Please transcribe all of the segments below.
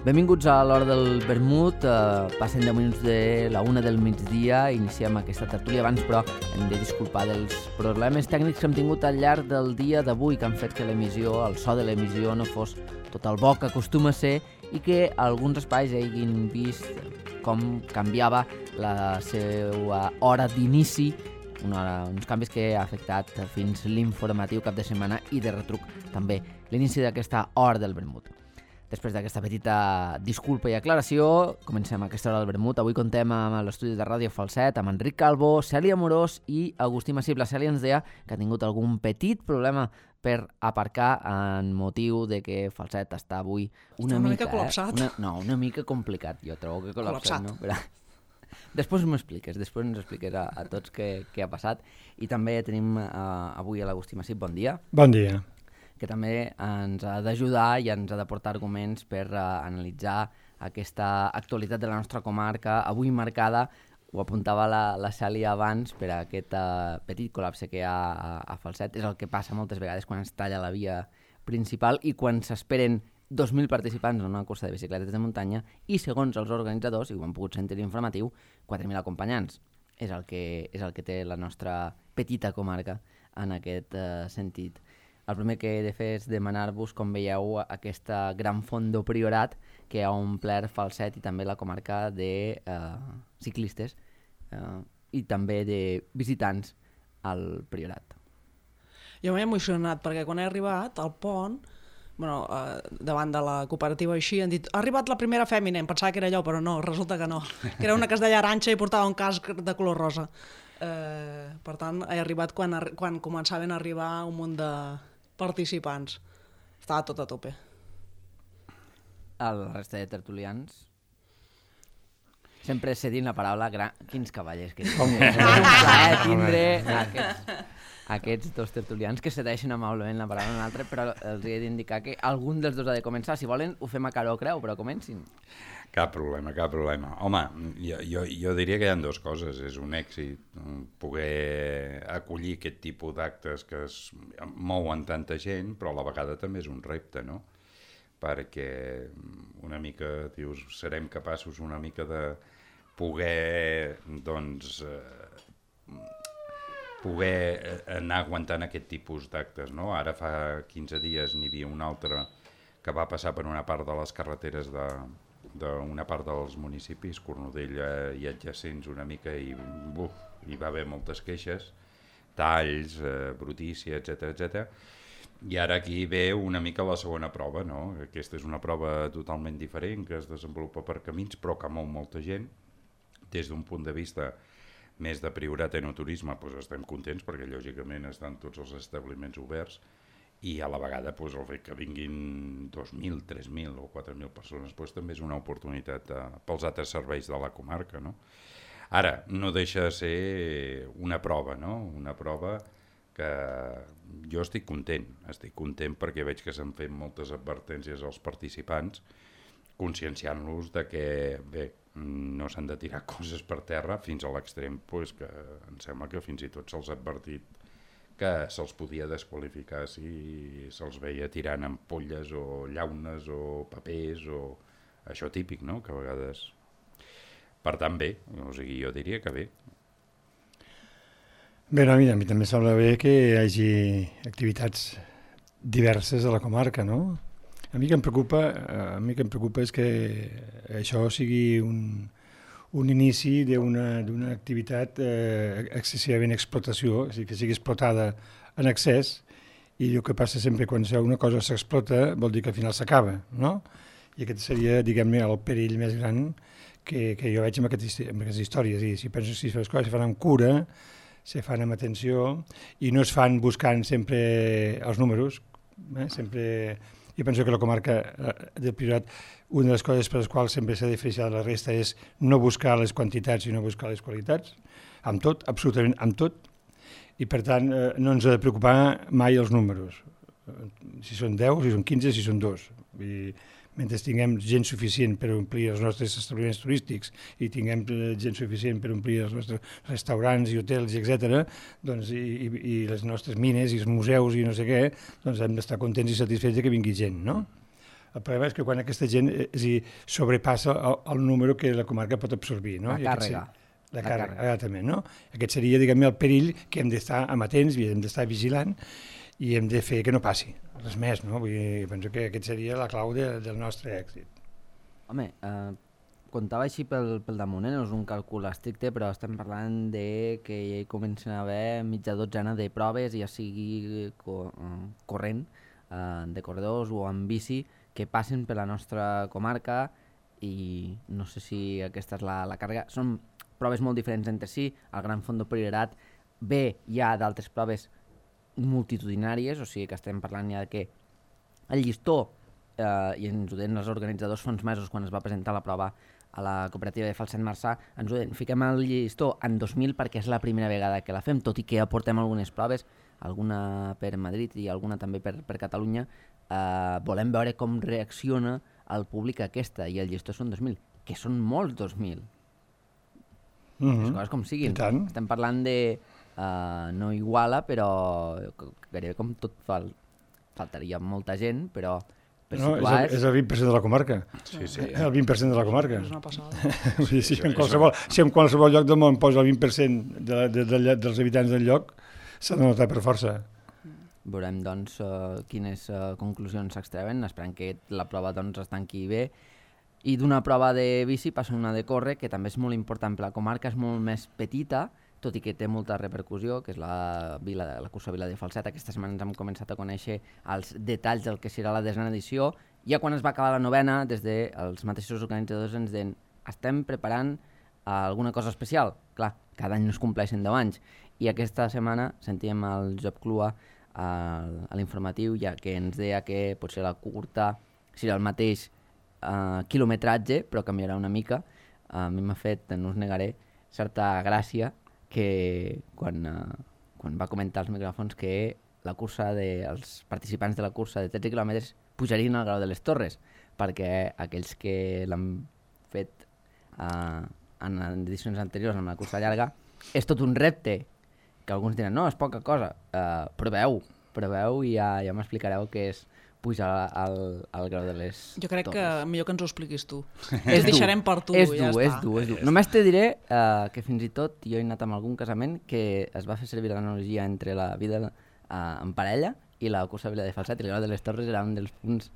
Benvinguts a l'hora del vermut, passen 10 minuts de la 1 del migdia, iniciem aquesta tertúlia. Abans, però, hem de disculpar dels problemes tècnics que hem tingut al llarg del dia d'avui, que han fet que l'emissió, el so de l'emissió, no fos tot el bo que acostuma a ser i que alguns espais hagin vist com canviava la seva hora d'inici, uns canvis que ha afectat fins l'informatiu cap de setmana i de retruc també l'inici d'aquesta hora del vermut. Després d'aquesta petita disculpa i aclaració, comencem aquesta hora del vermut. Avui contem amb l'estudi de Ràdio Falset, amb Enric Calvo, Cèlia Amorós i Agustí Massip. La Cèlia ens deia que ha tingut algun petit problema per aparcar en motiu de que Falset està avui una mica col·lapsat. Una mica complicat. Jo trobo que col·lapsat. No? Però... Després ens expliques a tots què ha passat. I també tenim avui a l'Agustí Massip. Bon dia. Bon dia. Que també ens ha d'ajudar i ens ha d'aportar arguments per analitzar aquesta actualitat de la nostra comarca, avui marcada, ho apuntava la Cèlia abans, per aquest petit col·lapse que hi ha a Falset. És el que passa moltes vegades quan es talla la via principal i quan s'esperen 2.000 participants en una cursa de bicicletes de muntanya i, segons els organitzadors, i ho han pogut sentir informatiu, 4.000 acompanyants. És el que té la nostra petita comarca en aquest sentit. El primer que he de fer és demanar-vos com veieu aquesta gran font de Priorat que ha omplert Falset i també la comarca de ciclistes i també de visitants al Priorat. Jo m'he emocionat perquè quan he arribat al pont, davant de la cooperativa així, han dit, ha arribat la primera fèmina, em pensava que era allò, però no, resulta que no, que era una que es deia Aranxa i portava un casc de color rosa. Per tant, he arribat quan començaven a arribar un munt de participants. Estava tot a tope. La resta de tertulians sempre cedint la paraula quins cavallers que és un plaer tindre aquests dos tertulians que cedeixen amablement la paraula a un altre, però els he d'indicar que algun dels dos ha de començar. Si volen ho fem a cara o creu, però comencin. Cap problema. Home, jo diria que hi ha dues coses. És un èxit poder acollir aquest tipus d'actes que es mouen tanta gent, però a la vegada també és un repte, no? Perquè una mica, dius, serem capaços una mica de poder, doncs, poder anar aguantant aquest tipus d'actes, no? Ara fa 15 dies n'hi havia un altre que va passar per una part de les carreteres d'una part dels municipis, Cornudella i adjacents una mica, i hi va haver moltes queixes, talls, brutícia, etc. I ara aquí ve una mica la segona prova, no? Aquesta és una prova totalment diferent, que es desenvolupa per camins, però que mou molta gent. Des d'un punt de vista més de Priorat enoturisme, doncs estem contents, perquè lògicament estan tots els establiments oberts, i a la vegada el fet que vinguin 2.000, 3.000 o 4.000 persones també és una oportunitat pels altres serveis de la comarca, no? Ara, no deixa de ser una prova, no? Una prova que jo estic content perquè veig que s'han fet moltes advertències als participants, conscienciant-los de que, bé, no s'han de tirar coses per terra fins a l'extrem, que em sembla que fins i tot se'ls ha advertit que se'ls podia desqualificar si se'ls veia tirant ampolles o llaunes o papers o això típic, no?, que a vegades... Per tant, bé, jo diria que bé. Bé, a mi també sembla bé que hi hagi activitats diverses a la comarca, no? A mi el que em preocupa és que això sigui un inici d'una activitat excessivament explotació, és a dir, que sigui explotada en excés, i el que passa sempre quan una cosa s'explota vol dir que al final s'acaba, no? I aquest seria, diguem-ne, el perill més gran que jo veig amb aquestes històries. I si penso que les coses se fan amb cura, se fan amb atenció, i no es fan buscant sempre els números, sempre... Jo penso que la comarca del Priorat, una de les coses per les quals sempre s'ha diferenciat de la resta és no buscar les quantitats, sinó buscar les qualitats, amb tot, absolutament amb tot, i per tant no ens ha de preocupar mai els números, si són 10, si són 15, si són 2. mentre tinguem gent suficient per omplir els nostres establiments turístics i tinguem gent suficient per omplir els nostres restaurants i hotels, etc., doncs, i les nostres mines i els museus i no sé què, doncs hem d'estar contents i satisfets que vingui gent, no? El problema és que quan aquesta gent sobrepassa el número que la comarca pot absorbir, no? La càrrega. La càrrega, exactament, no? Aquest seria, diguem-ne, el perill que hem d'estar amatents i hem d'estar vigilant i hem de fer que no passi, res més, no? Vull dir, penso que aquest seria la clau del nostre èxit. Home, comptava així pel damunt, no és un càlcul estricte, però estem parlant de que hi comencen a haver mitja dotzena de proves, ja sigui corrent, de corredors o amb bici, que passen per la nostra comarca i no sé si aquesta és la càrrega. Són proves molt diferents entre si, el Gran Fondo Priorat ve ja d'altres proves multitudinàries, o sigui que estem parlant ja que el llistó, i ens ho deien els organitzadors fa uns mesos quan es va presentar la prova a la cooperativa de Falset Marçà, ens ho deien, fiquem el llistó en 2000 perquè és la primera vegada que la fem, tot i que aportem algunes proves, alguna per Madrid i alguna també per Catalunya, volem veure com reacciona el públic a aquesta, i el llistó són 2.000, que són molts 2.000. Les coses com siguin. Estem parlant de no Iguala, però gairebé com tot faltaria molta gent, però per situar... És el 20% de la comarca. Sí. El 20% de la comarca. És una passada. Si en qualsevol lloc del món posa el 20% dels habitants del lloc, s'ha de notar per força. Veurem, doncs, quines conclusions s'extreuen, esperant que la prova doncs, es tanqui bé. I d'una prova de bici passa una de córrer, que també és molt important per la comarca, és molt més petita, tot i que té molta repercussió, que és la cursa Vila de Falset. Aquesta setmana ens hem començat a conèixer els detalls del que serà la 10a edició. Ja quan es va acabar la 9a, des dels mateixos organitzadors ens deien estem preparant alguna cosa especial. Clar, cada any no es compleixen 10 anys. I aquesta setmana sentíem el Job Clua a l'informatiu, ja que ens deia que potser la curta serà el mateix quilometratge, però canviarà una mica. A mi m'ha fet, no us negaré, certa gràcia que quan va comentar als micròfons que la cursa els participants de la cursa de 13 quilòmetres pujarien al Grau de les Torres, perquè aquells que l'han fet en edicions anteriors amb la cursa llarga és tot un repte, que alguns diran no, és poca cosa, proveu i ja m'explicareu què és pujar al Grau de les Torres. Jo crec que millor que ens ho expliquis tu. És dur, deixarem per tu, és ja dur, està. És dur. Només te diré que fins i tot jo he anat amb algun casament que es va fer servir l'analogia entre la vida en parella i la cursa Vila de Falset, i el Grau de les Torres era un dels punts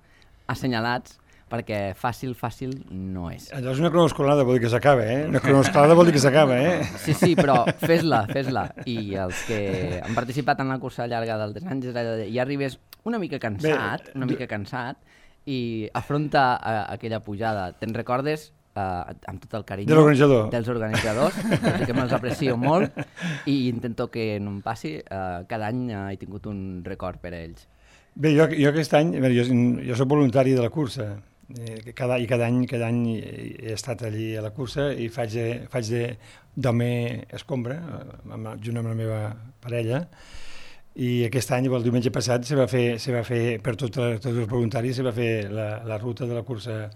assenyalats perquè fàcil no és. Allò és una cronoescolada, vol dir que s'acaba, Una cronoescolada vol dir que s'acaba, Sí, però fes-la. I els que han participat en la cursa llarga dels anys, ja arribes una mica cansat i afronta aquella pujada. Te'n recordes, amb tot el carinyo dels organitzadors, que me'ls aprecio molt i intento que no em passi. Cada any he tingut un record per a ells. Bé, jo aquest any, jo soc voluntari de la cursa, cada any he estat allí a la cursa i faig d'home escombra, junt amb la meva parella, i aquest any, el diumenge passat, se va fer per tots els voluntaris, se va fer la ruta de la cursa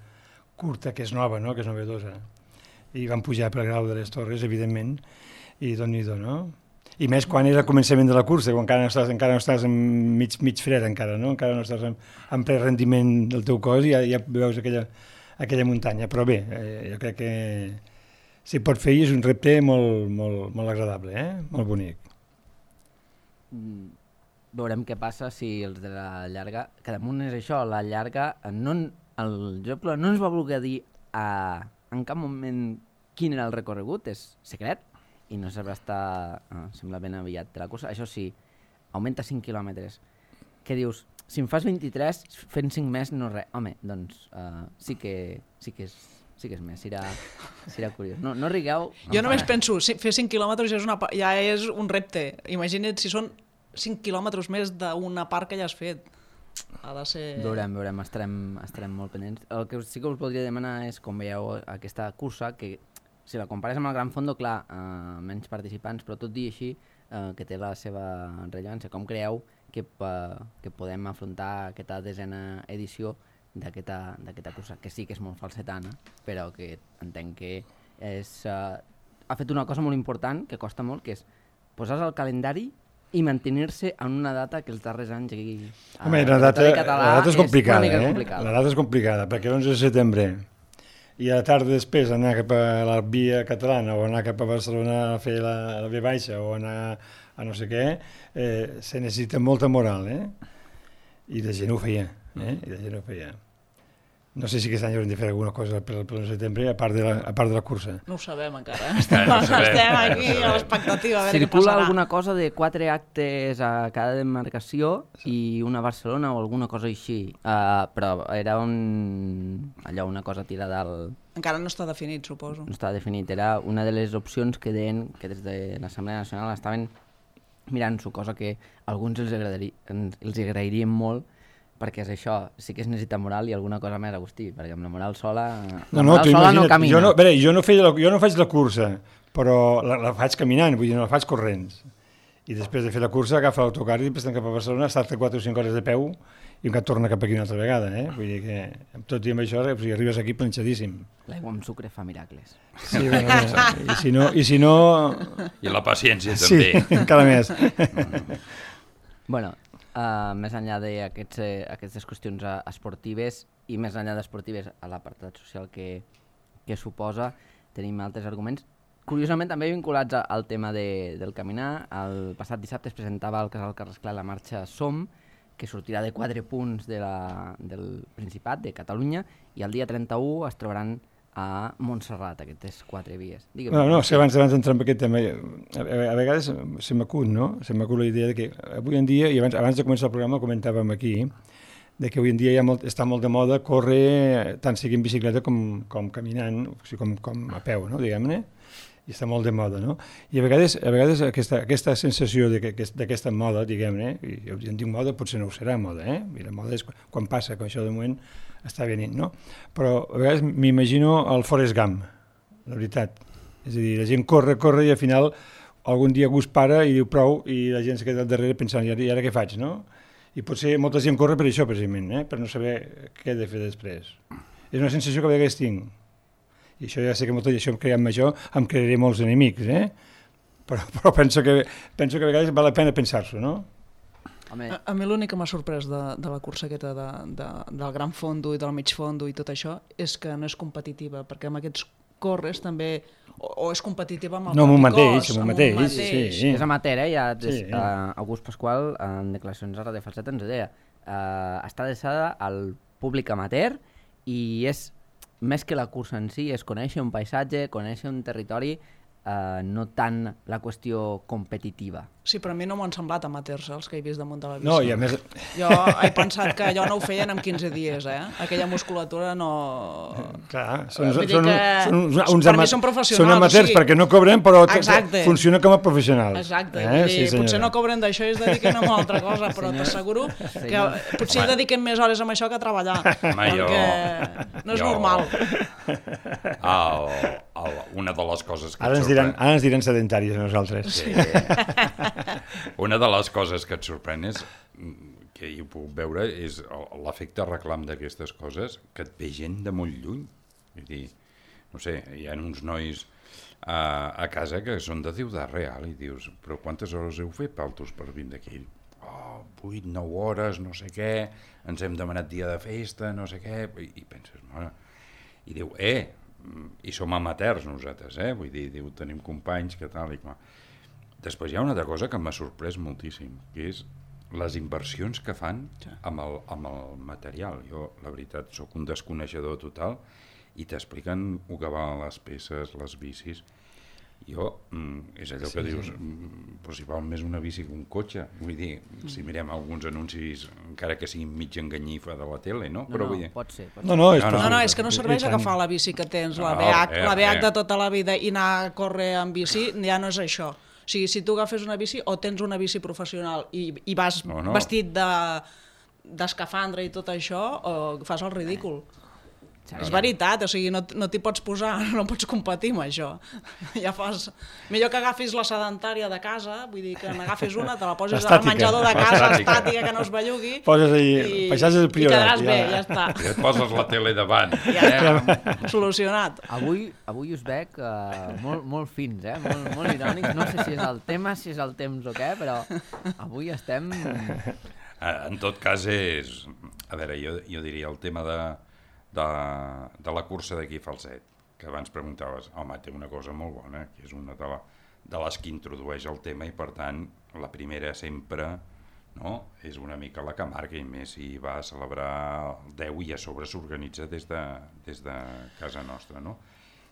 curta, que és nova, no? Que és novedosa. I vam pujar per el Grau de les Torres, evidentment, i Déu-n'hi-do, no? I més quan era el començament de la cursa, quan encara no estàs mig fred, encara no estàs en ple rendiment del teu cos i ja veus aquella muntanya. Però bé, jo crec que si pot fer és un repte molt agradable, molt bonic. Veurem què passa si els de la llarga, que damunt és això, la llarga, el Job no ens va voler dir en cap moment quin era el recorregut, és secret, i no sabrà estar, sembla ben aviat de la cursa. Això sí, augmenta 5 quilòmetres. Què dius? Si em fas 23, fent 5 més no res. Home, doncs sí que és més, serà curiós. No rigueu. Jo només penso, fer 5 quilòmetres ja és un repte. Imagina't si són 5 quilòmetres més d'una part que ja has fet. Ha de ser... Veurem, estarem molt pendents. El que sí que us voldria demanar és com veieu aquesta cursa, que si la compares amb el Gran Fondo, clar, menys participants, però tot dir així, que té la seva rellevància. Com creieu que podem afrontar aquesta 10a edició d'aquesta cursa, que sí que és molt falsetana, però que entenc que ha fet una cosa molt important, que costa molt, que és posar al calendari i mantenir-se en una data que els darrers anys... Home, la data és complicada, La data és complicada, perquè l'11 de setembre i a la tarda després anar cap a la Via Catalana o anar cap a Barcelona a fer la V baixa o anar a no sé què, se necessita molta moral, I la gent ho feia, No sé si aquest any haurem de fer alguna cosa per l'11 de setembre, a part de la cursa. No ho sabem encara, Estem aquí a l'expectativa, a veure què passarà. Circula alguna cosa de 4 actes a cada demarcació i una a Barcelona o alguna cosa així, però era una cosa tirada al... Encara no està definit, suposo. No està definit, era una de les opcions que deien que des de l'Assemblea Nacional estaven mirant-s'ho, cosa que a alguns els agrairíem molt, perquè és això, sí que es necessita moral i alguna cosa més, Agustí, perquè amb la moral sola no camina. Jo no faig la cursa, però la faig caminant, vull dir, no la faig corrents. I després de fer la cursa agafa l'autocar i després cap a Barcelona, salta 4 o 5 hores de peu i encara torna cap aquí una altra vegada, Vull dir que amb tot i amb això arribes aquí planxadíssim. L'aigua amb sucre fa miracles. Sí, i si no... I la paciència també. Sí, encara més. Bueno, més enllà d'aquestes qüestions esportives i més enllà d'esportives a l'apartat social que suposa, tenim altres arguments. Curiosament, també vinculats al tema del caminar, el passat dissabte es presentava al Casal Carrasclar la marxa Som, que sortirà de 4 punts del Principat, de Catalunya, i el dia 31 es trobaran a Montserrat, aquestes 4 vies. No, és que abans d'entrar en aquest tema, a vegades se m'acut, no? Se m'acut la idea de que avui en dia, i abans de començar el programa comentàvem aquí, de que avui en dia està molt de moda córrer tant sigui en bicicleta com caminant, o sigui, com a peu, no? Diguem-ne, i està molt de moda, no? I a vegades aquesta sensació d'aquesta moda, diguem-ne, i jo en dic moda, potser no ho serà moda, I la moda és quan passa, quan això de moment està venint, no? Però a vegades m'imagino el Forrest Gump, la veritat. És a dir, la gent corre i al final algun dia algú es para i diu prou i la gent se queda al darrere pensant, i ara què faig, no? I potser molta gent corre per això, precisament, per no saber què he de fer després. És una sensació que a vegades tinc. I això ja sé que això em crearé molts enemics, però penso que a vegades val la pena pensar-s'ho, no? A mi l'únic que m'ha sorprès de la cursa aquesta del gran fondo i del mig fondo i tot això és que no és competitiva, perquè amb aquests corres també o és competitiva amb el propi cos. Amb un mateix, sí. És amateur, August Pasqual en declaracions a Radio Falset ens deia està adreçada al públic amateur i és més que la cursa en si, és conèixer un paisatge, conèixer un territori, no tant la qüestió competitiva. Sí, però a mi no m'ho han semblat amateurs, els que he vist damunt de la bici. No, i a més... Jo he pensat que allò no ho feien en 15 dies, Aquella musculatura no... Clar, per mi són professionals. Són amateurs perquè no cobren, però funciona com a professionals. Exacte, potser no cobren d'això i es dediquen a una altra cosa, però t'asseguro que potser dediquen més hores amb això que a treballar, perquè no és normal. Una de les coses que ara ens diran sedentaris a nosaltres. Sí. Una de les coses que et sorprèn és, que hi ho puc veure, és l'efecte reclam d'aquestes coses, que et ve gent de molt lluny. Vull dir, no sé, hi ha uns nois a casa que són de Ciutat Real i dius, però quantes hores heu fet paltos per vindre aquí? 8, 9 hores, no sé què, ens hem demanat dia de festa, no sé què, i penses, mare, i diu, i som amateurs nosaltres, vull dir, tenim companys que tal i com. Després hi ha una altra cosa que m'ha sorprès moltíssim, que és les inversions que fan amb el material. Jo, la veritat, sóc un desconeixedor total i t'expliquen el que valen les peces, les bicis. Jo, és allò que dius, però si val més una bici que un cotxe. Vull dir, si mirem alguns anuncis, encara que siguin mig enganyifa de la tele, no? No, pot ser. No, és que no serveix agafar la bici que tens, la BH de tota la vida i anar a córrer amb bici, ja no és això. O sigui, si tu agafes una bici o tens una bici professional i vas vestit d'escafandra i tot això, o fas el ridícul. És veritat, o sigui, no t'hi pots posar, no pots competir amb això. Ja fas... Millor que agafis la sedentària de casa, vull dir que n'agafis una, te la poses al menjador de casa, estàtica, que no es bellugui, poses allí, baixes el priorat. I quedaràs bé, ja està. I et poses la tele davant. Ja està, solucionat. Avui us veig molt fins, molt irònics. No sé si és el tema, si és el temps o què, però avui estem... En tot cas és... A veure, jo diria el tema de la cursa d'aquí Falset, que abans preguntaves, home, té una cosa molt bona, que és una de les que introdueix el tema i per tant la primera sempre, no, és una mica la que marca, i més si va a celebrar el 10 i a sobre s'organitza des de casa nostra, no?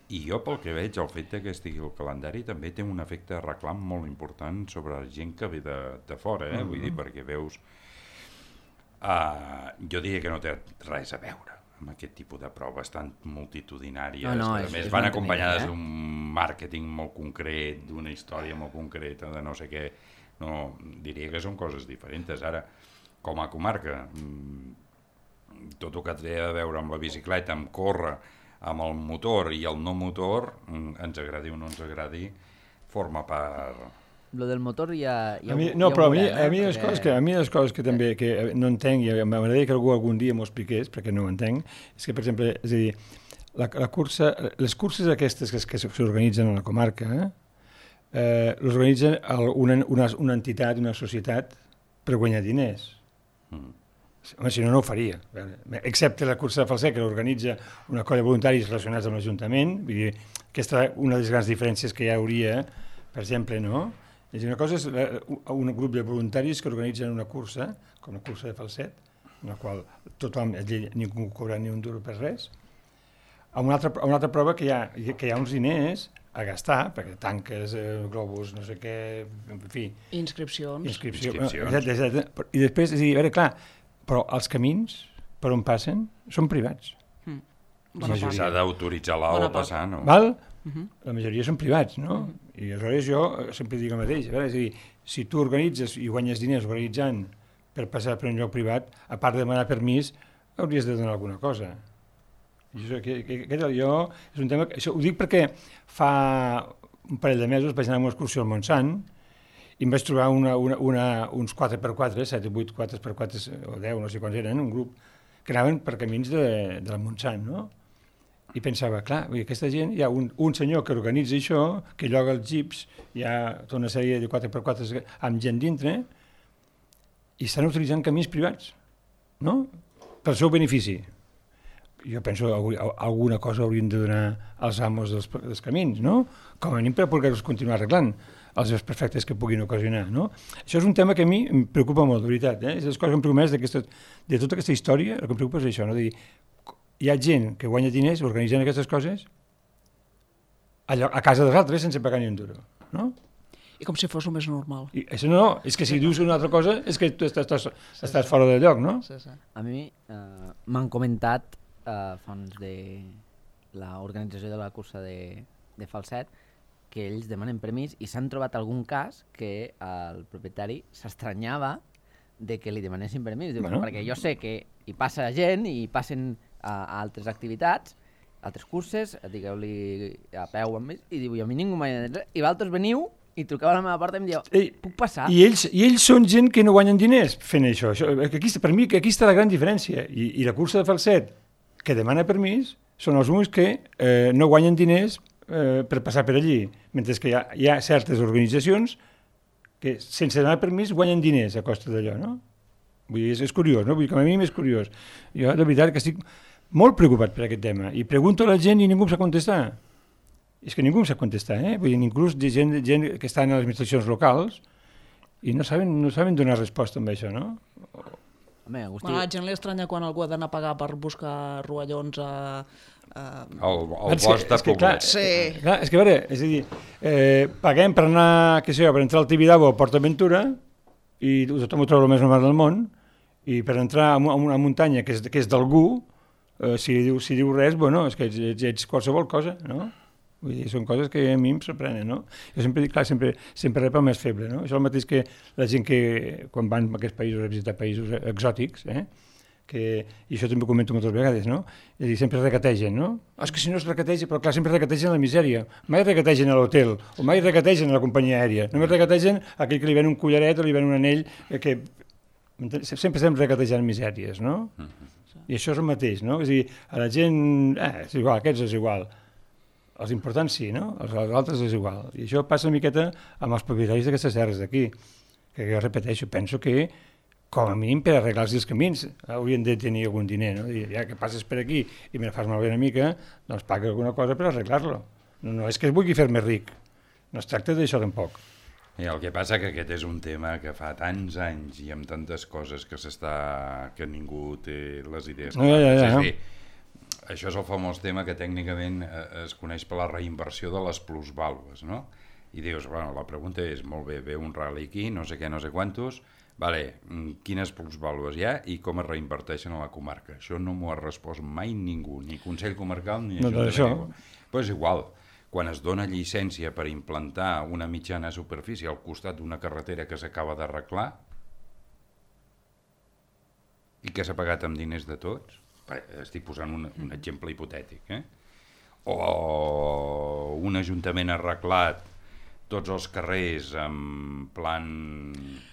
I jo pel que veig, el fet que estigui el calendari també té un efecte de reclam molt important sobre la gent que ve de fora, vull dir, perquè veus... jo diria que no té res a veure amb aquest tipus de proves tan multitudinàries, a més van acompanyades d'un màrqueting molt concret, d'una història molt concreta, de no sé què, no, diria que són coses diferents. Ara, com a comarca, tot el que té a veure amb la bicicleta, amb córrer, amb el motor i el no motor, ens agradi o no ens agradi, forma part... Lo del motor ja a mi les coses que també que no entenc, i m'agradaria que algun dia m'ho expliqués, perquè no ho entenc, és que, per exemple, és a dir, les curses aquestes que s'organitzen a la comarca, les organitzen una entitat, una societat, per guanyar diners. Home, si no, no ho faria. Excepte la cursa de Falset, que l'organitza una colla de voluntaris relacionats amb l'Ajuntament. Vull dir, aquesta és una de les grans diferències que hi hauria, per exemple, no? És a dir, una cosa és un grup de voluntaris que organitzen una cursa, com la cursa de Falset, en la qual tothom, ningú cobra ni un duro per res. Una altra prova que hi ha uns diners a gastar, perquè tanques, globus, no sé què, en fi... Inscripcions. Exacte. I després, és a dir, a veure, clar, però els camins per on passen són privats. S'ha d'autoritzar l'AO a passar, no? Val? La majoria són privats, no? I aleshores jo sempre dic el mateix, a veure, és a dir, si tu organitzes i guanyes diners organitzant per passar per un lloc privat, a part de demanar permís, hauries de donar alguna cosa. I això és un tema... Això ho dic perquè fa un parell de mesos vaig anar a una excursió al Montsant i em vaig trobar uns 4x4, 7 o 8 4x4 o 10, no sé quants eren, un grup que anaven per camins del Montsant, no? I pensava, clar, aquesta gent, hi ha un senyor que organitza això, que lloga els jeeps, hi ha tota una sèrie de 4x4 amb gent dintre, i estan utilitzant camins privats, no? Pel seu benefici. Jo penso que alguna cosa haurien de donar als amos dels camins, no? Com a mínim per poder-los continuar arreglant els desperfectes que puguin ocasionar, no? Això és un tema que a mi em preocupa molt, de veritat, És les coses que em preocupen més de tota aquesta història, el que em preocupa és això, no? De dir, hi ha gent que guanya diners organitzant aquestes coses a casa dels altres sense pagar ni un duro, no? I com si fos el més normal. I això no, és que si dius una altra cosa és que tu estàs fora del lloc, no? Sí. A mi m'han comentat fons de l'organització de la cursa de Falset que ells demanen permís i s'han trobat algun cas que el propietari s'estranyava de que li demanessin permís. Diu, perquè jo sé que hi passa gent i passen a altres activitats, altres curses, digueu-li a peu amb ells, i diu, a mi ningú m'ha dit res. I vosaltres veniu i truqueu a la meva porta i em dieu, puc passar? I ells són gent que no guanyen diners fent això. Per mi aquí està la gran diferència. I la cursa de Falset, que demana permís, són els únics que no guanyen diners per passar per allí, mentre que hi ha certes organitzacions que sense demanar permís guanyen diners a costa d'allò, no? Vull dir, és curiós, no? Vull dir, com a mi és curiós. Jo, de veritat, que estic molt preocupat per aquest tema i pregunto a la gent i ningú em sap contestar. És que ningú em sap contestar, Vull dir, inclús gent que està en les administracions locals i no saben donar resposta amb això, no? Home, Agustí... A la gent li estranya quan algú ha d'anar a pagar per buscar rovellons el bosc de Poblet. Clar, és que a veure, és a dir, paguem per anar, per entrar al Tibidabo o a PortAventura i tothom ho troba el més normal del món, i per entrar a una muntanya que és d'algú, si diu res, bueno, és que ets qualsevol cosa, no? Vull dir, són coses que a mi em sorprenen, no? Jo sempre dic, clar, sempre rep el més feble, no? Això és el mateix que la gent que, quan van a aquests països, a visitar països exòtics, i això també ho comento moltes vegades, no? És a dir, sempre regategen, no? És que si no es regategen, però clar, sempre regategen la misèria. Mai regategen a l'hotel, o mai regategen a la companyia aèria. Només regategen a aquell que li ven un collaret o li ven un anell, que sempre estem regatejant misèries, no? I això és el mateix, no? És a dir, a la gent, és igual, aquests és igual. Els importants sí, no? Els altres és igual. I això passa una miqueta amb els propietaris d'aquestes terres d'aquí, que jo repeteixo, penso que com a mínim per arreglar-los els camins haurien de tenir algun diner, no? I ja que passes per aquí i me fas malbé una mica, doncs paga alguna cosa per arreglar-lo. No és que es vulgui fer més ric, no es tracta d'això tampoc. I el que passa que aquest és un tema que fa tants anys i amb tantes coses que ningú té les idees clares. És a dir, això és el famós tema que tècnicament es coneix per la reinversió de les plusvàlues, no? I dius, bueno, la pregunta és, molt bé, ve un rally aquí, no sé què, no sé quantos, vale, quines plusvàlues hi ha i com es reinverteixen a la comarca? Això no m'ho ha respost mai ningú, ni Consell Comarcal ni Ajuntament. Però és igual, quan es dona llicència per implantar una mitjana superfície al costat d'una carretera que s'acaba d'arreglar i que s'ha pagat amb diners de tots, estic posant un exemple hipotètic, o un ajuntament arreglat tots els carrers en plan...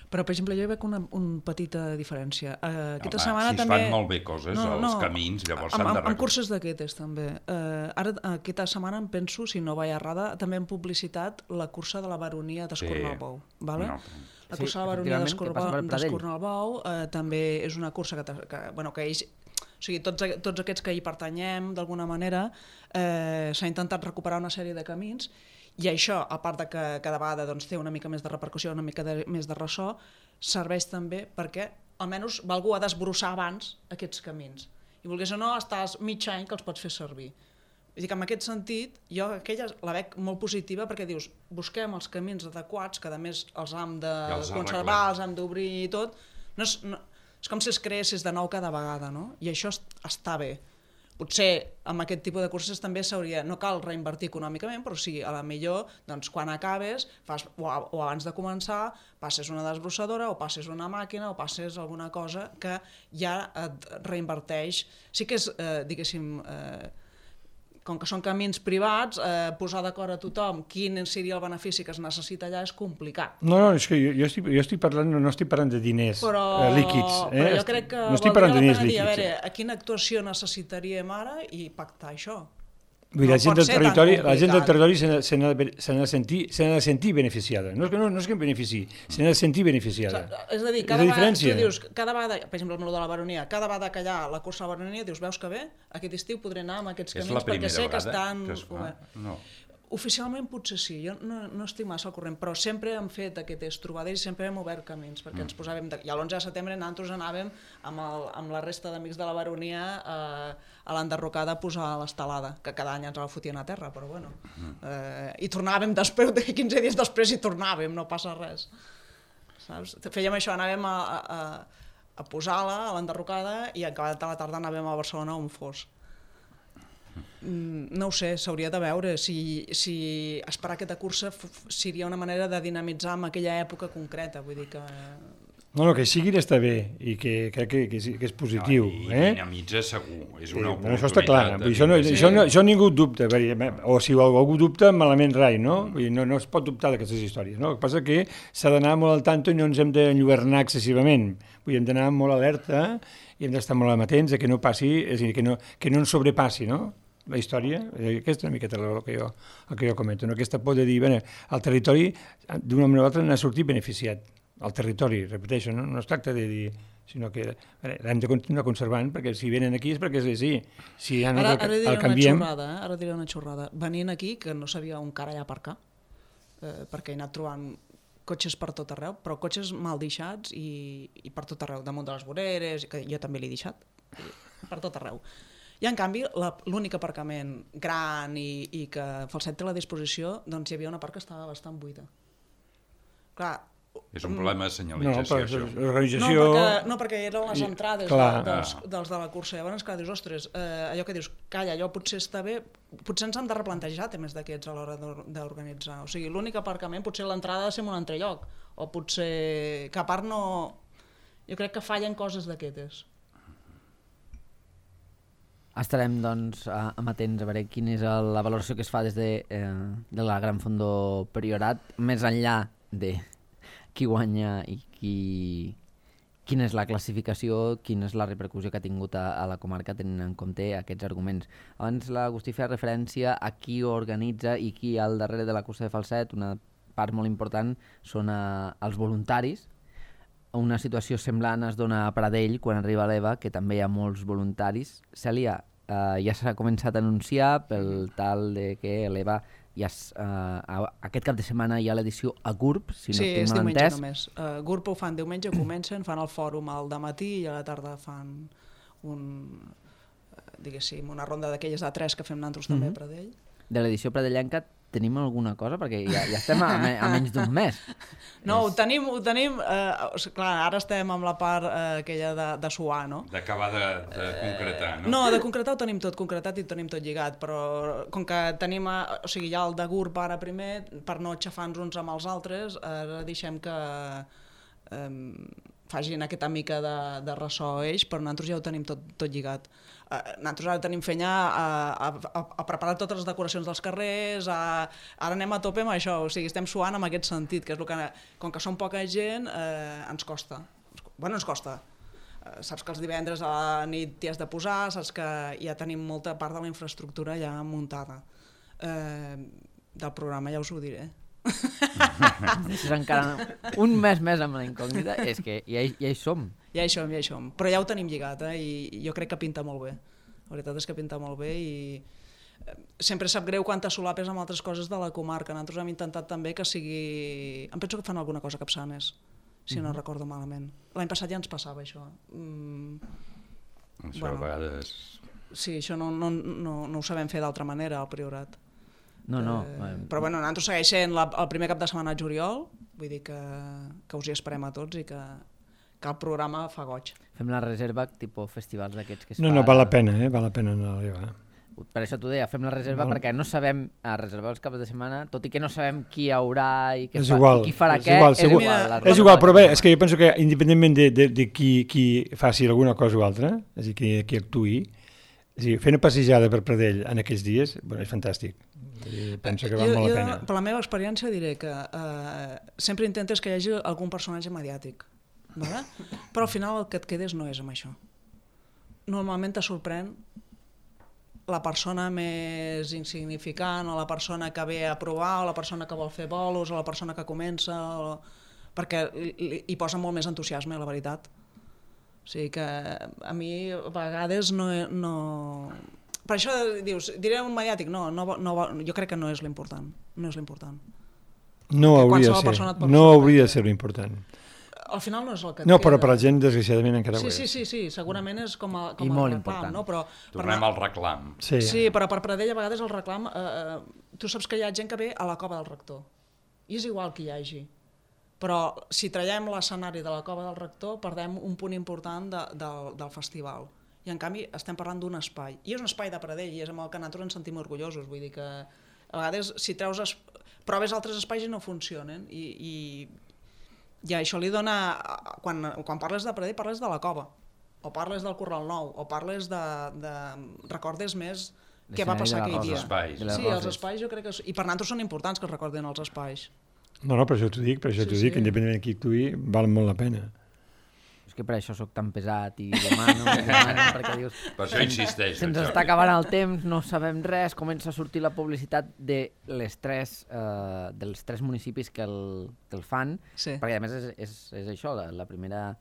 Però, per exemple, jo hi veig una petita diferència. Aquesta setmana si es fan molt bé coses, els camins, llavors s'han d'arreglar. Amb curses d'aquestes, també. Ara, aquesta setmana, em penso, si no vaig errada, també hem publicitat la cursa de la Baronia d'Escornalbou. Vale? La cursa de la Baronia d'Escornalbou també és una cursa que ells... O sigui, tots aquests que hi pertanyem, d'alguna manera, s'ha intentat recuperar una sèrie de camins. I això, a part de que cada vegada té una mica més de repercussió, una mica més de ressò, serveix també perquè almenys algú ha d'esbrossar abans aquests camins. I volgués o no, estàs mig any que els pots fer servir. Vull dir que en aquest sentit, jo aquella la veig molt positiva perquè dius, busquem els camins adequats, que a més els hem de conservar, els hem d'obrir i tot. És com si es creessis de nou cada vegada, no? I això està bé. Potser amb aquest tipus de curses també no cal reinvertir econòmicament, però sí, a la millor, doncs, quan acabes, o abans de començar, passes una desbrossadora, o passes una màquina, o passes alguna cosa que ja et reinverteix. Sí que és, diguéssim, com que són camins privats, posar d'acord a tothom quin seria el benefici que es necessita allà és complicat. No, és que jo estic parlant, no estic parlant de diners líquids. Però jo crec que no estic parlant de diners líquids. A veure, a quina actuació necessitaríem ara i pactar això? La gent del territori se n'ha de sentir beneficiada. No és que em benefici, se n'ha de sentir beneficiada. És a dir, cada vegada, per exemple, el de la Baronia, cada vegada que hi ha la cursa de la Baronia, dius, veus que bé, aquest estiu podré anar amb aquests camins perquè sé que estan... Oficialment potser sí, jo no estic massa al corrent, però sempre hem fet aquestes trobades i sempre hem obert camins, perquè ens posàvem... I l'11 de setembre nosaltres anàvem amb la resta d'amics de la Baronia a l'enderrocada a posar l'estelada, que cada any ens la fotien a terra, però bueno. I tornàvem després, 15 dies després i tornàvem, no passa res. Saps? Fèiem això, anàvem a posar-la a l'enderrocada i acabat de la tarda anàvem a Barcelona on fos. No ho sé, s'hauria de veure si esperar aquesta cursa seria una manera de dinamitzar en aquella època concreta, vull dir que... No, que sigui està bé i que crec que és positiu. I dinamitza segur, és una oportunitat. Això està clar, això ningú dubta, o si algú dubta, malament rai, no? No es pot dubtar d'aquestes històries, no? El que passa que s'ha d'anar molt al tanto i no ens hem d'enlluernar excessivament, hem d'anar molt alerta i hem d'estar molt amatents a que no passi, és a dir, que no ens sobrepassi, no? La història, aquesta és una miqueta el que jo comento, no? Aquesta por de dir, el territori d'una manera o altra n'ha sortit beneficiat, el territori, repeteixo, no es tracta de dir, sinó que l'hem de continuar conservant, perquè si venen aquí és perquè és així, si ja no el canviem... Ara diré una xorrada, venint aquí, que no sabia on cara allà aparcar, perquè he anat trobant cotxes per tot arreu, però cotxes mal deixats i per tot arreu, damunt de les voreres, que jo també l'he deixat, per tot arreu. I en canvi, l'únic aparcament gran i que Falset té a la disposició, doncs hi havia una part que estava bastant buida. Clar... És un problema de senyalització, això. L'organització... No, perquè eren les entrades dels de la cursa. Llavors, clar, dius, ostres, allò que dius, calla, allò potser està bé, potser ens hem de replantejar temes d'aquests a l'hora d'organitzar. O sigui, l'únic aparcament, potser l'entrada ha de ser en un altre lloc, o potser que a part no... Jo crec que fallen coses d'aquestes. Estarem, doncs, amatents a veure quina és la valoració que es fa des de la Gran Fondo Priorat, més enllà de qui guanya i quina és la classificació, quina és la repercussió que ha tingut a la comarca tenint en compte aquests arguments. Abans l'Agustí feia referència a qui organitza i qui al darrere de la cursa de Falset. Una part molt important són els voluntaris. Una situació semblant es dona a Pradell quan arriba l'EVA, que també hi ha molts voluntaris. Cèlia, ja s'ha començat a anunciar pel tal de que l'EVA aquest cap de setmana hi ha l'edició a GURB, si no tinc mal entès. Sí, és diumenge només. GURB ho fan diumenge, comencen, fan el fòrum al dematí i a la tarda fan una ronda d'aquelles de 3 que fem nosaltres també a Pradell. De l'edició pradellenca tenim alguna cosa? Perquè ja estem a menys d'un mes. No, ho tenim, clar, ara estem amb la part aquella de suar, no? D'acabar de concretar, no? No, de concretar ho tenim tot concretat i ho tenim tot lligat, però com que tenim, o sigui, hi ha el de GURB ara primer, per no xafar-nos uns amb els altres, ara deixem que facin aquesta mica de ressò ells, però nosaltres ja ho tenim tot lligat. Nosaltres ara tenim fenya a preparar totes les decoracions dels carrers, ara anem a tope amb això, o sigui, estem suant en aquest sentit, que és el que, com que som poca gent, ens costa. Bueno, ens costa. Saps que els divendres a la nit t'hi has de posar, saps que ja tenim molta part de la infraestructura ja muntada. Del programa ja us ho diré. Deixes encara un mes més amb la incògnita, és que ja hi som. Ja hi som, però ja ho tenim lligat, i jo crec que pinta molt bé. La veritat és que pinta molt bé i sempre sap greu quan te solapes amb altres coses de la comarca. Nosaltres hem intentat també que sigui... Em penso que fan alguna cosa a Capçanes, si no recordo malament. L'any passat ja ens passava això. Això a vegades... Sí, això no ho sabem fer d'altra manera al Priorat. No. Però bueno, nosaltres segueix sent el primer cap de setmana de juliol, vull dir que us hi esperem a tots i que el programa fa goig. Fem la reserva, tipus festivals d'aquests que es fa... No, val la pena, val la pena anar a l'EVA. Per això t'ho deia, fem la reserva perquè no sabem reservar els caps de setmana, tot i que no sabem qui hi haurà i qui farà què. És igual, però bé, és que jo penso que independentment de qui faci alguna cosa o altra, és a dir, qui actuï, fer una passejada per Pradell en aquells dies, és fantàstic. Penso que val molt la pena. Per la meva experiència diré que sempre intentes que hi hagi algun personatge mediàtic, però al final el que et quedes no és amb això. Normalment te sorprèn la persona més insignificant o la persona que ve a provar o la persona que vol fer bolos o la persona que comença, perquè hi posa molt més entusiasme, la veritat. O sigui que a mi a vegades no... Per això dius, diré un mediàtic, no, jo crec que no és l'important. No és l'important. No hauria de ser l'important. Al final no és el que no, però per la gent, desgraciadament, encara ho és. Sí, segurament és com a reclam, no? Tornem al reclam. Sí, però per Pradell a vegades el reclam... Tu saps que hi ha gent que ve a la cova del rector. I és igual que hi hagi. Però si traiem l'escenari de la cova del rector, perdem un punt important del festival. I en canvi estem parlant d'un espai. I és un espai de Pradell i és amb el que nosaltres ens sentim orgullosos. Vull dir que a vegades si proves altres espais i no funcionen. I això li dona... Quan parles de Pradell parles de la cova, o parles del Corral Nou, o parles de recordes més què va passar aquell dia. Sí, els espais jo crec que... I per nosaltres són importants que es recordin els espais. No, per això t'ho dic, que independentment de qui actuï, val molt la pena. És que per això sóc tan pesat i demano, perquè dius... Per això insisteix. Se'ns està acabant el temps, no sabem res, comença a sortir la publicitat dels tres municipis que el fan, perquè a més és això, la primera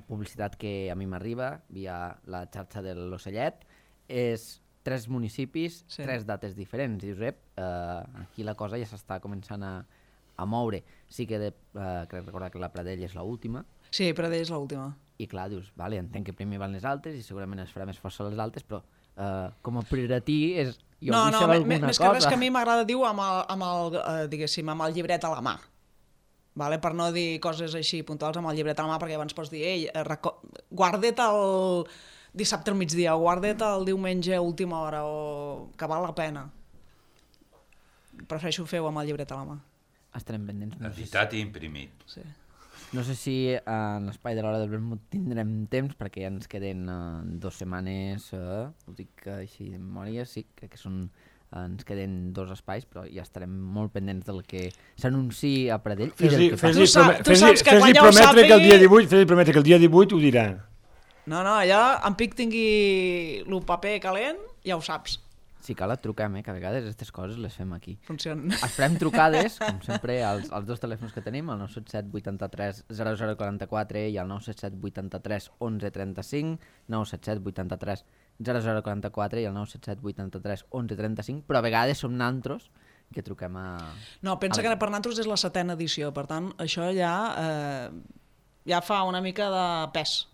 publicitat que a mi m'arriba via la xarxa de l'Ocellet, és 3 municipis, 3 dates diferents. Dius, aquí la cosa ja s'està començant a moure. Sí que crec recordar que la Pradell és l'última. Sí, Pradell és l'última. I clar, dius, vale, entenc que primer van les altes i segurament es farà més força les altes, però com a prioratí és... Jo vull saber alguna cosa. Més que res que a mi m'agrada dir-ho amb el llibret a la mà. Per no dir coses així puntuals amb el llibret a la mà, perquè abans pots dir, guarda't el dissabte al migdia, o guarda't el diumenge a última hora, o que val la pena. Prefereixo fer-ho amb el llibret a la mà. Estarem pendents. Editat i imprimit. Sí. No sé si en l'espai de l'hora del vermut tindrem temps, perquè ja ens queden 2 setmanes, ho dic així de memòria, sí, crec que ens queden 2 espais, però ja estarem molt pendents del que s'anunciï a Pradell i del que passa. Tu saps que quan ja ho sàpigui... Fes-li prometre que el dia 18 ho dirà. No, allà en Pic tingui el paper calent, ja ho saps. Si cal et truquem, que a vegades aquestes coses les fem aquí. Funcionen. Esperem trucades, com sempre, als 2 telèfons que tenim, el 977 83 0044 i el 977 83 11 35, 977 83 0044 i el 977 83 11 35, però a vegades som nantros que truquem a... No, pensa que per nantros és la 7ª edició, per tant, això ja fa una mica de pes.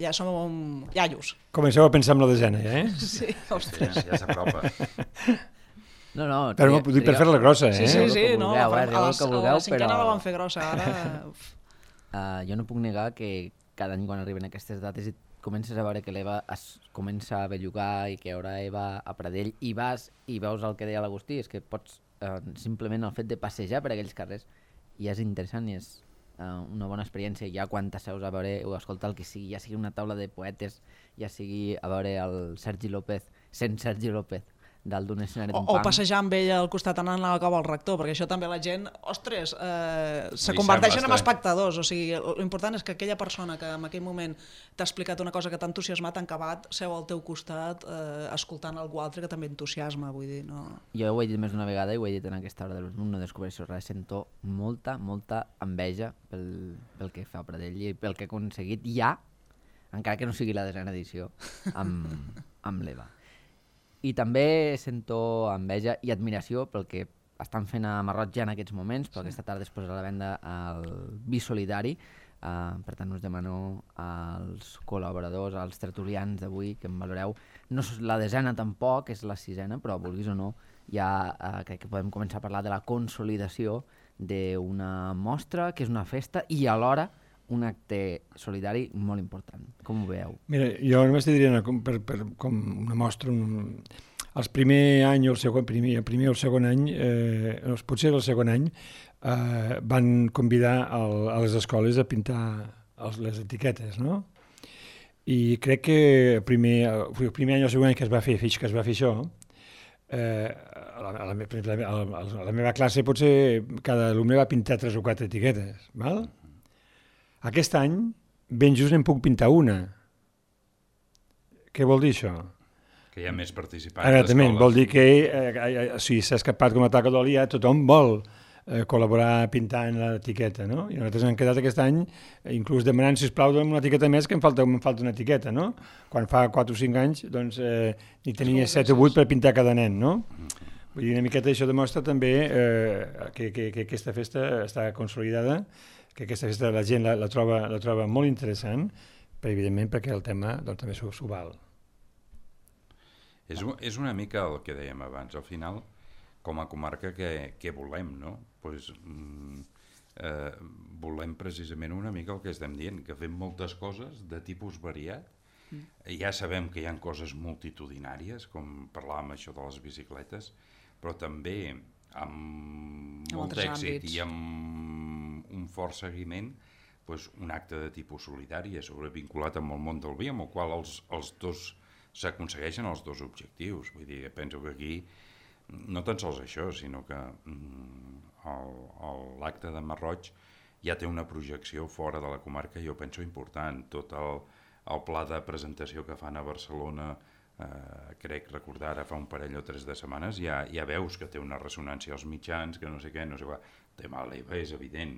Ja som iaios. Comenceu a pensar en la desena, ja, Sí, ostres. Ja s'apropa. No, però ho dic per fer-la grossa, Sí, no, a la 5ª la van fer grossa, ara... Jo no puc negar que cada any quan arriben aquestes dates i comences a veure que l'Eva es comença a bellugar i que hi haurà Eva a Pradell i vas i veus el que deia l'Agustí, és que pots simplement el fet de passejar per aquells carrers ja és interessant i és una bona experiència, ja quan t'asseus a veure o a escoltar el que sigui, ja sigui una taula de poetes, ja sigui a veure el Sergi López, sent Sergi López, dalt d'un escenari d'un punk. O passejar amb ell al costat anant a la cova al rector, perquè això també la gent, ostres, se converteixen en espectadors, o sigui, l'important és que aquella persona que en aquell moment t'ha explicat una cosa que t'ha entusiasmat, en acabat, seu al teu costat escoltant algú altre que també entusiasma, vull dir, no... Jo ho he dit més d'una vegada i ho he dit en aquesta hora del no descobreixo res, sento molta enveja pel que fa a Pradell i pel que ha aconseguit ja, encara que no sigui la 10ª edició, amb l'Eva. I també sento enveja i admiració pel que estan fent a Marroig ja en aquests moments, però aquesta tarda es posarà a la venda el Vi Solidari. Per tant, us demano als col·laboradors, als tertulians d'avui que em valoreu. No és la 10ª tampoc, és la 6ª, però vulguis o no, ja crec que podem començar a parlar de la consolidació d'una mostra, que és una festa, i alhora un acte solidari molt important. Com ho veieu? Mira, jo només te diria com una mostra, el primer any o el primer o el segon any, potser el segon any, van convidar a les escoles a pintar les etiquetes, no? I crec que el primer any o el segon any que es va fer això, a la meva classe potser cada alumne va pintar 3 o 4 etiquetes, val? Aquest any, ben just n'en puc pintar una. Què vol dir això? Que hi ha més participants. Exactament, vol dir que si s'ha escapat com a taca d'oli, tothom vol col·laborar pintant l'etiqueta, no? I nosaltres hem quedat aquest any, inclús demanant, sisplau, una etiqueta més, que em falta una etiqueta, no? Quan fa 4 o 5 anys, doncs, n'hi tenia 7 o 8 per pintar cada nen, no? Vull dir, una miqueta això demostra també que aquesta festa està consolidada, que aquesta festa la gent la troba molt interessant, però evidentment perquè el tema doncs, també s'ho val. És una mica el que dèiem abans, al final, com a comarca, què volem, no? Pues, volem precisament una mica el que estem dient, que fem moltes coses de tipus variat. Ja sabem que hi ha coses multitudinàries, com parlàvem això de les bicicletes, però també amb molt d'èxit i amb un fort seguiment, un acte de tipus solidari sobrevinculat amb el món del vi, amb el qual els dos s'aconsegueixen els dos objectius. Vull dir, penso que aquí no tan sols això, sinó que l'acte de Marroig ja té una projecció fora de la comarca, jo penso important. Tot el pla de presentació que fan a Barcelona, crec recordar ara fa un parell o 3 de setmanes, ja veus que té una ressonància als mitjans, que no sé què, no sé què. El tema de l'EVA és evident.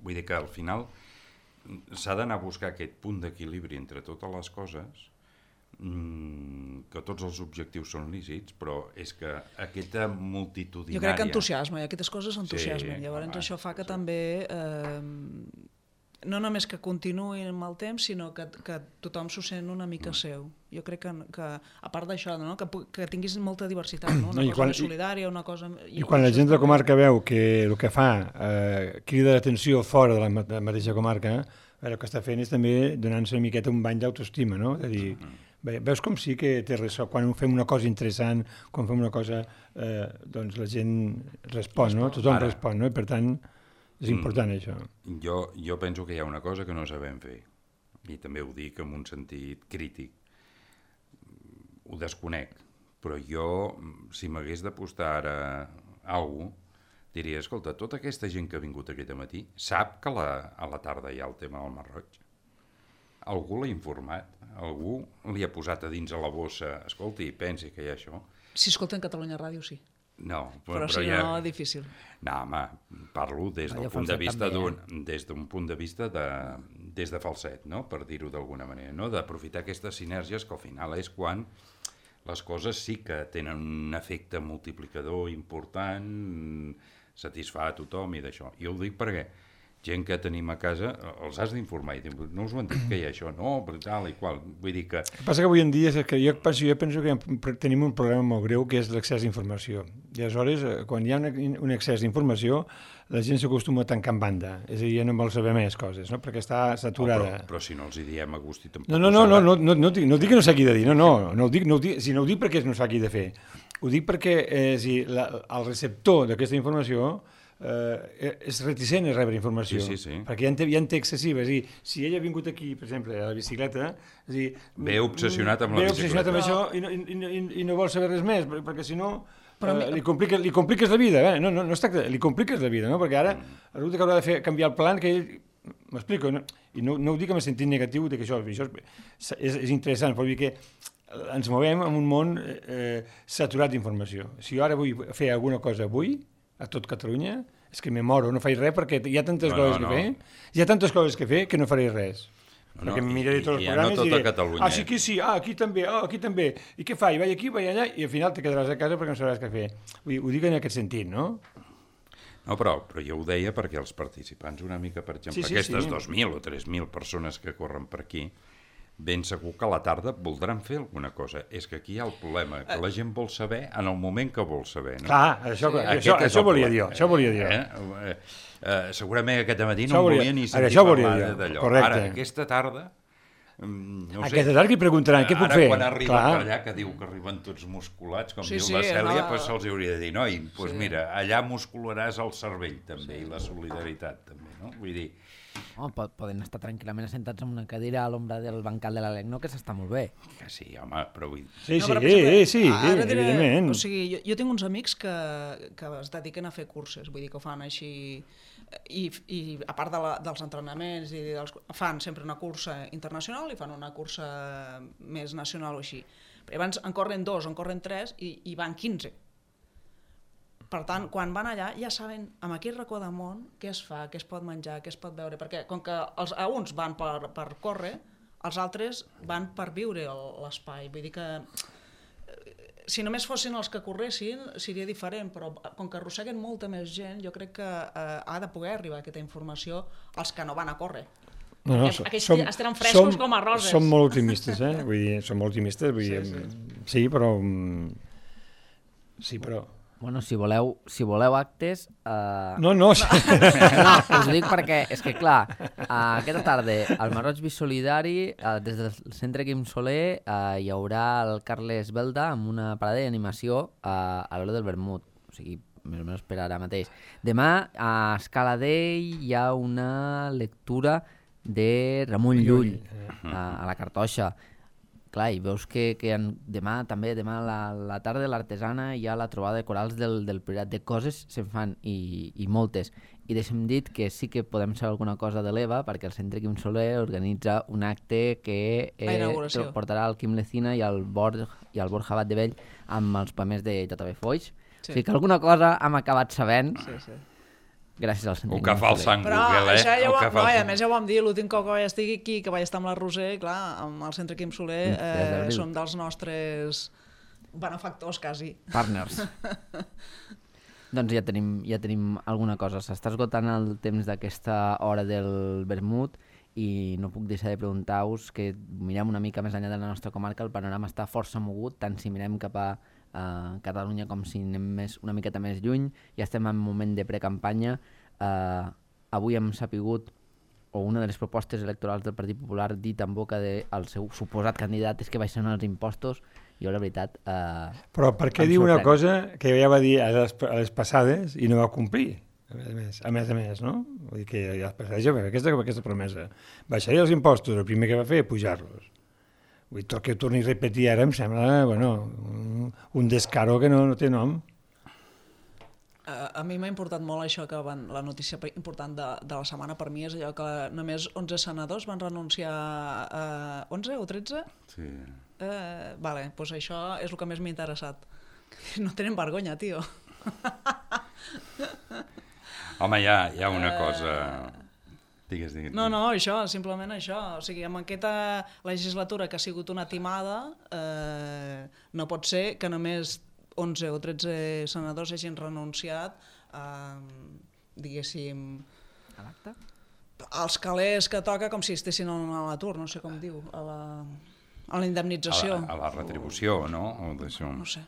Vull dir que al final s'ha d'anar a buscar aquest punt d'equilibri entre totes les coses, que tots els objectius són lícits, però és que aquesta multitudinària... Jo crec que entusiasma, i aquestes coses entusiasmen. Sí, llavors això fa que també... no només que continuï amb el temps, sinó que tothom s'ho sent una mica seu. Jo crec que a part d'això, no? que tinguis molta diversitat, no? Una cosa més solidària, una cosa... I quan la gent de la comarca veu que el que fa crida l'atenció fora de la mateixa comarca, el que està fent és també donar-se una miqueta un bany d'autoestima, no? És a dir, veus com sí que té ressò, quan fem una cosa interessant, quan fem una cosa, doncs la gent respon, no? Tothom respon, no? I per tant... És important, això. Jo penso que hi ha una cosa que no sabem fer, i també ho dic en un sentit crític. Ho desconec, però jo, si m'hagués d'apostar ara alguna cosa, diria, escolta, tota aquesta gent que ha vingut aquest matí sap que a la tarda hi ha el tema del Mar Roig? Algú l'ha informat? Algú li ha posat a dins a la bossa, escolti, pensi que hi ha això? Si escolten Catalunya Ràdio, sí. No, però si no, difícil. No, home, parlo des d'un punt de vista des de falset, no? Per dir-ho d'alguna manera, no? D'aprofitar aquestes sinergies que al final és quan les coses sí que tenen un efecte multiplicador important, satisfà a tothom i d'això. I ho dic perquè gent que tenim a casa els has d'informar i no us ho han dit que hi ha això, no, tal i qual. Vull dir que... El que passa que avui en dia és que jo penso que tenim un problema molt greu que és l'accés a informació. I aleshores, quan hi ha un accés a informació, la gent s'acostuma a tancar en banda. És a dir, ja no vol saber més coses, no? Perquè està saturada. Però si no els hi diem a gust i tampoc... No dic que no s'hagi de dir, no ho dic perquè no s'hagi de fer. Ho dic perquè el receptor d'aquesta informació és reticent a rebre informació, sí. perquè ja en té excessiva. És a dir, si ell ha vingut aquí, per exemple, a la bicicleta, és a dir, ve obsessionat amb la bicicleta. Ve obsessionat amb això i no vol saber res més, perquè si no li compliques la vida. No es tracta, li compliques la vida, no? Perquè ara resulta que haurà de fer canviar el plan que ell... M'explico, no? I no ho dic en el sentit negatiu de que això és interessant, però vull dir que ens movem en un món saturat d'informació. Si jo ara vull fer alguna cosa avui, a tot Catalunya, és que me moro, no faig res perquè hi ha tantes coses que fer, hi ha tantes coses que fer que no faré res. Perquè em miraré tots els programes i diré, sí que sí, aquí també, i què faig? Vaig aquí, vaig allà, i al final te quedaràs a casa perquè no sabràs què fer. Ho dic en aquest sentit, no? No, però jo ho deia perquè els participants una mica, per exemple, aquestes 2.000 o 3.000 persones que corren per aquí, ben segur que a la tarda voldran fer alguna cosa. És que aquí hi ha el problema, que la gent vol saber en el moment que vol saber. No? Clar, això volia dir. Segurament aquest matí no em volia ni sentir parlar d'allò. Ara, aquesta tarda, no sé. Aquesta tarda li preguntaran què puc fer. Ara quan arriba per allà, que diu que arriben tots musculats, com diu la Cèlia, se'ls hauria de dir, noi, doncs mira, allà muscularàs el cervell també, i la solidaritat també, no? Vull dir... Poden estar tranquil·lament assentats en una cadira a l'ombra del bancal de l'Alec, no? Que s'està molt bé. Que sí, home, però vull... Sí, evidentment. O sigui, jo tinc uns amics que es dediquen a fer curses, vull dir que ho fan així, i a part dels entrenaments, fan sempre una cursa internacional i fan una cursa més nacional o així. Però abans en corren 2, en corren 3 i van 15. Per tant, quan van allà ja saben amb aquell racó de món què es fa, què es pot menjar, què es pot veure, perquè com que uns van per córrer, els altres van per viure l'espai. Vull dir que si només fossin els que corressin seria diferent, però com que arrosseguen molta més gent, jo crec que ha de poder arribar aquesta informació als que no van a córrer. Aquests estaran frescos com a roses. Som molt optimistes, vull dir, sí, però... Bueno, si voleu actes... No. No, us ho dic perquè, és que clar, aquesta tarda al Mar Roig Bisolidari, des del Centre Quim Soler, hi haurà el Carles Belda amb una parada d'animació a l'hora del vermut, o sigui, més o menys per ara mateix. Demà, a Escala Dei, hi ha una lectura de Ramon Llull, a la Cartoixa. Clar, i veus que demà a la tarda de l'Artesana hi ha la trobada de corals del Priorat. De coses se'n fan i moltes. I deixem dit que sí que podem saber alguna cosa de l'Eva, perquè el Centre Quim Soler organitza un acte que portarà el Quim Lecina i el Borja Batdevell amb els poemes de J.B. Foix. O sigui que alguna cosa hem acabat sabent. Sí. Gràcies al Centre Quim Soler. O que fa el Sant Google, a més ja ho vam dir, l'últim cop que vaig estar aquí, que vaig estar amb la Roser, clar, amb el Centre Quim Soler, som dels nostres benefactors, quasi. Partners. Doncs ja tenim alguna cosa. S'està esgotant el temps d'aquesta hora del vermut i no puc deixar de preguntar-vos que mirem una mica més enllà de la nostra comarca, el panorama està força mogut, tant si mirem cap a Catalunya com si anem una miqueta més lluny. Ja estem en un moment de precampanya. Avui hem sapigut, o una de les propostes electorals del Partit Popular, dit en boca del seu suposat candidat és que baixen els impostos. Jo, la veritat... Però per què diu una cosa que ja va dir a les passades i no va complir? A més, no? Vull dir que ja aquesta promesa. Baixaria els impostos, el primer que va fer, pujar-los. Vull dir, tot que ho torni a repetir ara em sembla, un descaro que no té nom. A mi m'ha importat molt això que la notícia important de la setmana per mi és allò que només 11 senadors van renunciar a 11 o 13? Sí. Vale, doncs això és el que més m'ha interessat. No tenen vergonya, tio. Home, hi ha una cosa... Digues. No, això, simplement això. O sigui, amb aquesta legislatura que ha sigut una timada, no pot ser que només 11 o 13 senadors hagin renunciat diguéssim... A l'acte? als calés que toca com si estessin a l'atur, no sé com diu, a la indemnització. A la retribució, no? No sé.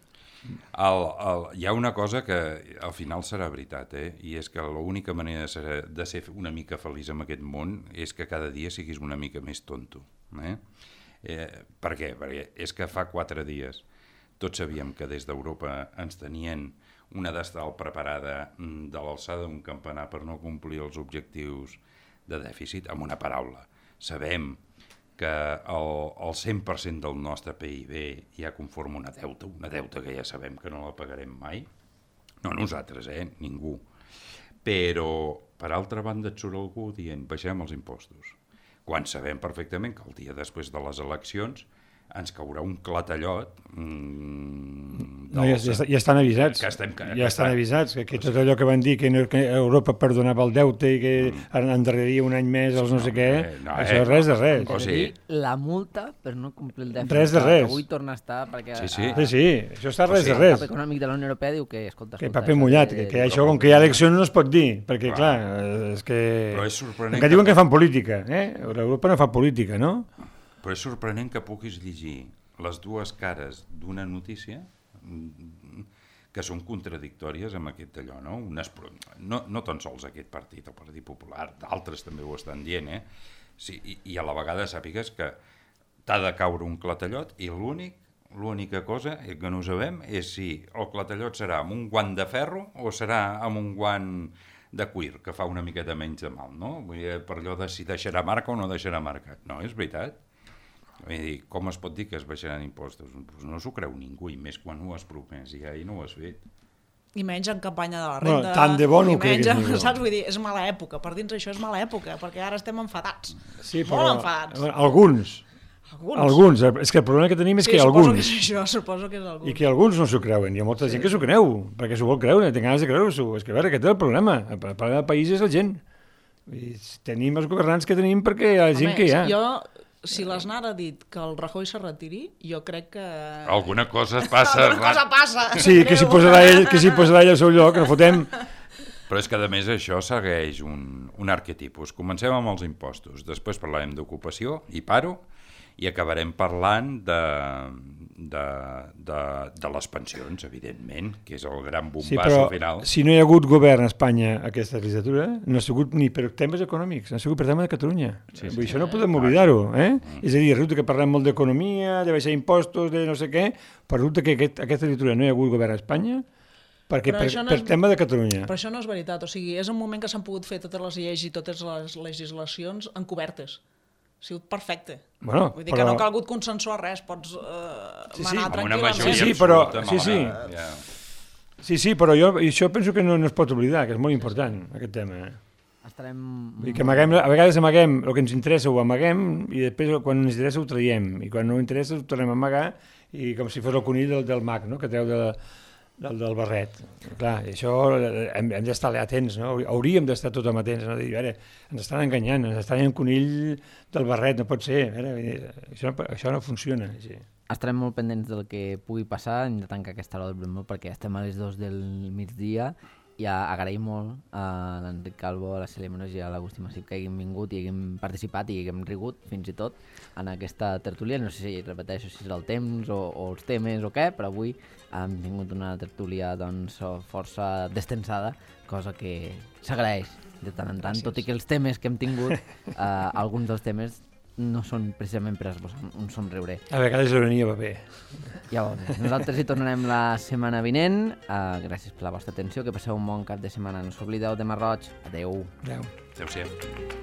Hi ha una cosa que al final serà veritat, i és que l'única manera de ser una mica feliç en aquest món és que cada dia siguis una mica més tonto. Per què? Perquè és que fa 4 dies tots sabíem que des d'Europa ens tenien una destral preparada de l'alçada d'un campanar per no complir els objectius de dèficit, amb una paraula. Sabem que el 100% del nostre PIB ja conforma una deuta que ja sabem que no la pagarem mai. No nosaltres, ningú. Però, per altra banda, et surt algú dient baixem els impostos. Quan sabem perfectament que el dia després de les eleccions ens caurà un clatallot. Ja estan avisats. Ja estan avisats, que tot allò que van dir que Europa perdonava el deute i que endarreria un any més els no sé què, això és res de res. O sigui, la multa per no complir el dèficit. Res de res. Avui torna a estar perquè... Sí, això està res de res. El cap econòmic de la Unió Europea diu que, escolta... Que paper mullat, que això com que hi ha eleccions no es pot dir, perquè clar, és que... Però és sorprenent que diuen que fan política, Europa no fa política, no? Però és sorprenent que puguis llegir les dues cares d'una notícia que són contradictòries amb aquest allò, no? No tan sols aquest partit, el Partit Popular, d'altres també ho estan dient, Sí, i a la vegada sàpigues que t'ha de caure un clatallot i l'única cosa que no sabem és si el clatallot serà amb un guant de ferro o serà amb un guant de cuir, que fa una miqueta menys de mal, no? Vull dir, per allò de si deixarà marca o no deixarà marca. No, és veritat. Vull dir, com es pot dir que es baixaran impostos? Pues no s'ho creu ningú, i més quan ho has promès ja i no ho has fet. I menys en campanya de la renda. No, tant de bo no ho creguis ningú. Saps? Vull dir, és mala època. Per dins això és mala època, perquè ara estem enfadats. Sí, però... Molt enfadats. Alguns. És que el problema que tenim és que alguns... Suposo que és alguns. I que alguns no s'ho creuen. Hi ha molta gent que s'ho creu, perquè s'ho vol creure, té ganes de creure-s'ho. És que, a veure, aquest és el problema. El problema del país és la gent. Tenim els governants que tenim perquè hi ha gent que hi ha. Si l'Aznar ha dit que el Rajoy se retiri, jo crec que... Alguna cosa passa. Alguna cosa passa. Sí, que s'hi posarà ell al seu lloc, que no fotem... Però és que, a més, això segueix un arquetipus. Comencem amb els impostos, després parlarem d'ocupació, i paro, i acabarem parlant de les pensions, evidentment, que és el gran bombasso final. Si no hi ha hagut govern a Espanya aquesta legislatura, no ha sigut ni per temes econòmics, ha sigut per temes de Catalunya. Sí. Això no podem oblidar-ho. És a dir, resulta que parlem molt d'economia, de baixar impostos, de no sé què, però resulta que aquesta legislatura no hi ha hagut govern a Espanya perquè per tema de Catalunya. Però això no és veritat, o sigui, és un moment que s'han pogut fer totes les lleis i totes les legislacions encobertes. Ha sigut perfecte. Bueno, vull dir que no ha calgut consensuar res, pots manar tranquil·lament. Sí, però jo això penso que no es pot oblidar, que és molt important, aquest tema. Que a vegades amaguem el que ens interessa, ho amaguem, i després quan ens interessa ho traiem, i quan no ens interessa ho tornem a amagar, i com si fos el conill del mag, no?, que treu del barret. Clar, això hem d'estar atents, no? Hauríem d'estar tothom atents, no? Dir, a veure, ens estan enganyant, ens estan en conill del barret, no pot ser, això no funciona. Sí. Estarem molt pendents del que pugui passar, hem de tancar aquesta hora del Bremó perquè estem a les 2 del migdia. I agraïm molt a l'Enric Calvo, a la Cèlia Menos i a l'Agustí Massip que haguem vingut i haguem participat i haguem rigut fins i tot en aquesta tertúlia. No sé si repeteixo si és el temps o els temes o què, però avui hem tingut una tertúlia doncs, força destensada, cosa que s'agraeix de tant en tant, tot i que els temes que hem tingut, alguns dels temes no són precisament per esbossar un somriure. A vegades l'ironia va bé. Ja va bé. Nosaltres hi tornarem la setmana vinent. Gràcies per la vostra atenció, que passeu un bon cap de setmana. No us oblideu de Mar Roig. Adeu. Adeu. Adéu-siau.